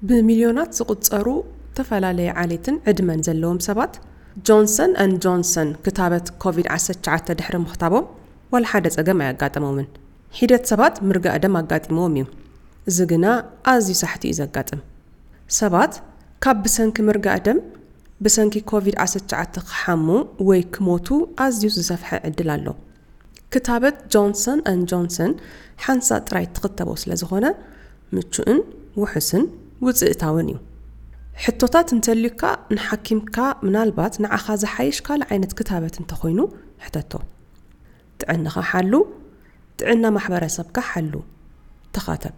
ብሚልዮናት ዝቑጸሩ ዝተፈላለየ ዓሌትን ዕድመን ዘለዎም ሰባት ጆንሰን ኣን ጆንሰን ክታበት ኮቪድ ዓሰርተ ትሽዓተ ድሕሪ ምኽታቦም ዋላ ሓደ ጸገም ኣያጋጠሞምን። ሒደት ሰባት ምርጋእ ደም ኣጋጢምዎም እዩ። እዚ ግና ኣዝዩ ሳሕቲ እዩ ዘጋጥም። ሰባት ካብ ብሰንኪ ምርጋእ ደም ብሰንኪ ኮቪድ ዓሰርተ ትሽዓተ ክሓሙ ወይ ክሞቱ ኣዝዩ ዝሰፍሐ ዕድል ኣሎ። ክታበት ጆንሰን ኣን ጆንሰን ሓንሳእ ጥራይ ትኽተቦ ስለ ዝኾነ ምቹእን ውሕስን ውፅእታውን እዩ። ሕቶታት እንተልዩካ ንሓኪምካ ምናልባት ንዓኻ ዝሓይሽ ካልእ ዓይነት ክታበት እንተኾይኑ ሕተቶ። ጥዕናኻ ሓሉ፣ ጥዕና ማሕበረሰብካ ሓሉ፣ ተኻተብ።